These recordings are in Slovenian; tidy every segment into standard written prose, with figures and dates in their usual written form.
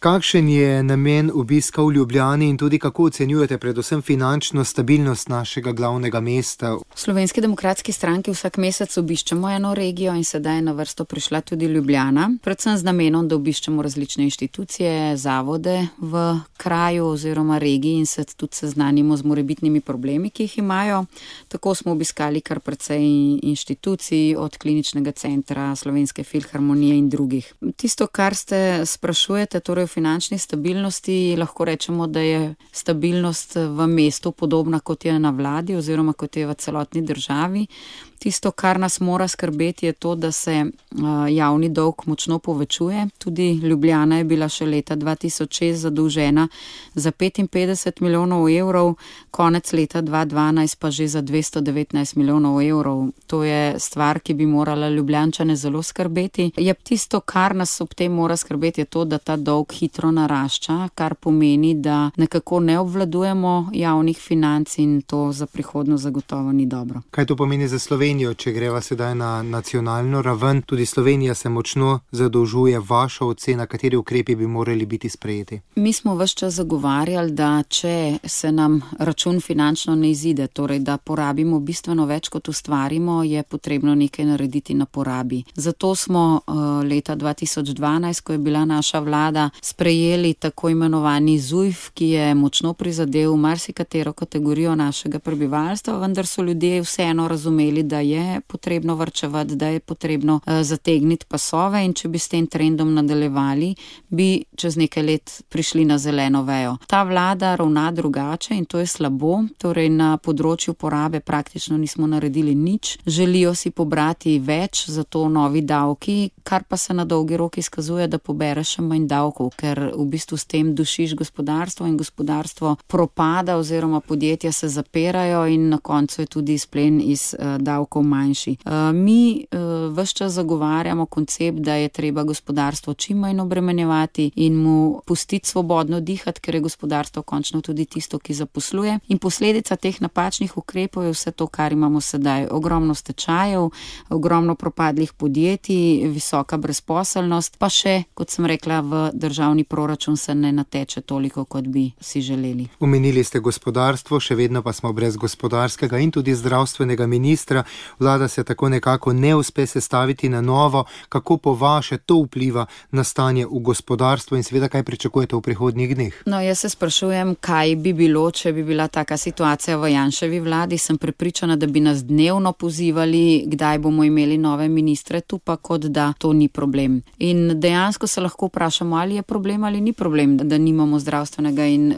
Kakšen je namen obiska v Ljubljani in tudi kako ocenjujete predvsem finančno stabilnost našega glavnega mesta? V Slovenski demokratski stranki vsak mesec obiščemo eno regijo in sedaj je na vrsto prišla tudi Ljubljana, predvsem z namenom, da obiščemo različne inštitucije, zavode v kraju oziroma regiji in se tudi seznanimo z morebitnimi problemi, ki jih imajo. Tako smo obiskali kar precej inštitucij, od Kliničnega centra, Slovenske filharmonije in drugih. Tisto, kar ste sprašujete, torej v finančni stabilnosti, lahko rečemo, da je stabilnost v mestu podobna kot je na vladi oziroma kot je v celotni državi. Tisto, kar nas mora skrbeti, je to, da se javni dolg močno povečuje. Tudi Ljubljana je bila še leta 2006 zadolžena za 55 milijonov evrov, konec leta 2012 pa že za 219 milijonov evrov. To je stvar, ki bi morala Ljubljančane zelo skrbeti. Je tisto, kar nas ob tem mora skrbeti, je to, da ta dolg hitro narašča, kar pomeni, da nekako ne obvladujemo javnih financ in to za prihodnost zagotovo ni dobro. Kaj to pomeni za Slovenijo? Če greva sedaj na nacionalno raven, tudi Slovenija se močno zadolžuje. Vaša ocena, kateri ukrepi bi morali biti sprejeti? Mi smo ves čas zagovarjali, da če se nam račun finančno ne izide, torej da porabimo bistveno več, kot ustvarimo, je potrebno nekaj narediti na porabi. Zato smo leta 2012, ko je bila naša vlada, sprejeli tako imenovani ZUJF, ki je močno prizadel marsikatero kategorijo našega prebivalstva, vendar so ljudje vseeno razumeli, da je potrebno varčevati, da je potrebno zategniti pasove in če bi s tem trendom nadaljevali, bi čez nekaj let prišli na zeleno vejo. Ta vlada ravna drugače in to je slabo, torej na področju porabe praktično nismo naredili nič. Želijo si pobrati več, zato novi davki, kar pa se na dolgi rok izkazuje, da pobereš še manj davkov, ker v bistvu s tem dušiš gospodarstvo in gospodarstvo propada oziroma podjetja se zapirajo in na koncu je tudi izplen iz davkov manjši. Mi ves čas zagovarjamo koncept, da je treba gospodarstvo čim manj obremenjevati in mu pustiti svobodno dihati, ker je gospodarstvo končno tudi tisto, ki zaposluje. In posledica teh napačnih ukrepov je vse to, kar imamo sedaj. Ogromno stečajev, ogromno propadlih podjetij, visoka brezposelnost, pa še, kot sem rekla, v državni proračun se ne nateče toliko, kot bi si želeli. Omenili ste gospodarstvo, še vedno pa smo brez gospodarskega in tudi zdravstvenega ministra. Vlada se tako nekako ne uspe sestaviti na novo. Kako po vaše to vpliva na stanje v gospodarstvu in seveda kaj pričakujete v prihodnjih dneh? No, jaz se sprašujem, kaj bi bilo, če bi bila taka situacija v Janševi vladi. Sem prepričana, da bi nas dnevno pozivali, kdaj bomo imeli nove ministre, tu pa kot da to ni problem. In dejansko se lahko vprašamo, ali je problem ali ni problem, da nimamo zdravstvenega in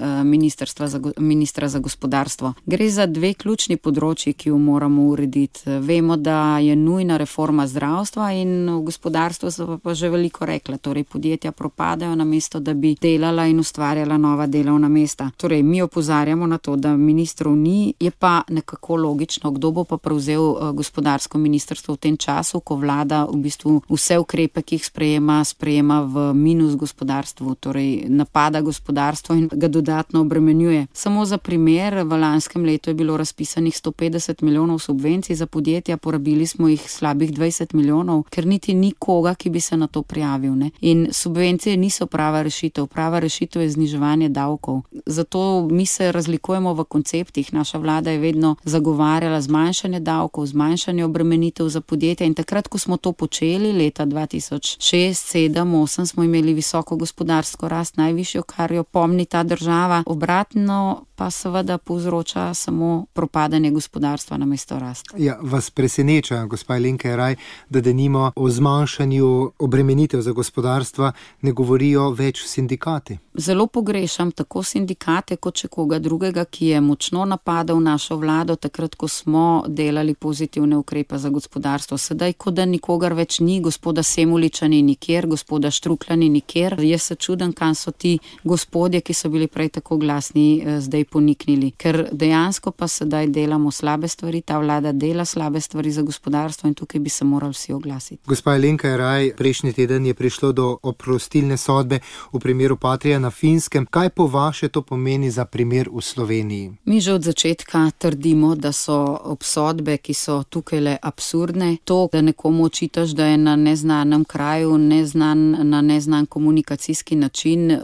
ministra za gospodarstvo. Gre za dve ključni področji, ki jo moramo urediti. Vemo, da je nujna reforma zdravstva in v gospodarstvu so pa že veliko rekla. Torej, podjetja propadajo namesto, da bi delala in ustvarjala nova delovna mesta. Torej, mi opozarjamo na to, da ministrov ni, je pa nekako logično, kdo bo pa prevzel gospodarsko ministrstvo v tem času, ko vlada v bistvu vse ukrepe, ki jih sprejema v minus gospodarstvu, torej napada gospodarstvo in ga dodatno obremenjuje. Samo za primer, v lanskem letu je bilo razpisanih 150 milijonov subvencij za podjetja, porabili smo jih slabih 20 milijonov, ker niti ni koga, ki bi se na to prijavil. Ne? In subvencije niso prava rešitev. Prava rešitev je zniževanje davkov. Zato mi se razlikujemo v konceptih. Naša vlada je vedno zagovarjala zmanjšanje davkov, zmanjšanje obremenitev za podjetja in takrat, ko smo to počeli, leta 2006, 2007, 2008, smo imeli visoko gospodarsko rast, najvišjo, kar jo pomni ta država. Obratno pa seveda povzroča samo propadanje gospodarstva namesto rast. Ja, vas preseneča, gospa Alenka Jeraj, da denimo o zmanjšanju obremenitev za gospodarstva ne govorijo več sindikati? Zelo pogrešam tako sindikate kot še koga drugega, ki je močno napadal našo vlado takrat, ko smo delali pozitivne ukrepe za gospodarstvo. Sedaj, ko da nikogar več ni, gospoda Semoliča ni nikjer, gospoda Štruklja ni nikjer. Jaz se čudem, kam so ti gospodje, ki so bili prej tako glasni, zdaj poniknili. Ker dejansko pa sedaj delamo slabe stvari, ta vlada dela slabe stvari za gospodarstvo in tukaj bi se morali vsi oglasiti. Gospa Alenka Jeraj, prejšnji teden je prišlo do oprostilne sodbe v primeru Patria na Finskem. Kaj po vaše to pomeni za primer v Sloveniji? Mi že od začetka trdimo, da so obsodbe, ki so tukaj le absurdne. To, da nekomu očitaš, da je na neznanem kraju, na neznan komunikacijski način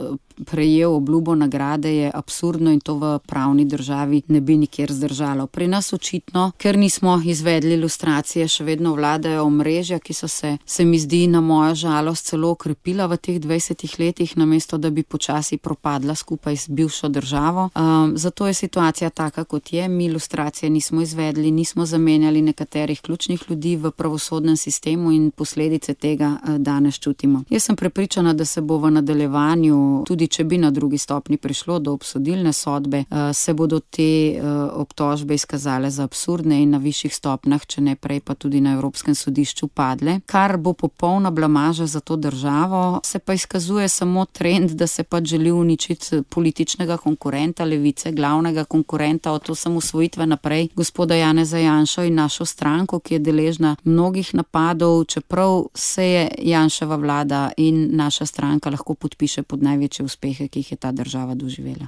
prejel obljubo nagrade, je absurdno in to v pravni državi ne bi nikjer zdržalo. Pri nas očitno, ker nismo izvedli ilustracije, še vedno vladajo omrežja, ki so se mi zdi na mojo žalost celo okrepila v teh 20 letih, namesto da bi počasi propadla skupaj z bivšo državo. Zato je situacija taka, kot je. Mi ilustracije nismo izvedli, nismo zamenjali nekaterih ključnih ljudi v pravosodnem sistemu in posledice tega danes čutimo. Jaz sem prepričana, da se bo v nadaljevanju, tudi če bi na drugi stopni prišlo do obsodilne sodbe, se bodo te obtožbe izkazale za absurdne in na višjih stopnjah, če ne prej pa tudi na Evropskem sodišču padle, kar bo popolna blamaža za to državo. Se pa izkazuje samo trend, da se pač želi uničiti političnega konkurenta Levice, glavnega konkurenta od osamosvojitve naprej, gospoda Janeza Janšo in našo stranko, ki je deležna mnogih napadov, čeprav se je Janševa vlada in naša stranka lahko podpiše pod največje uspehe, ki jih je ta država doživela.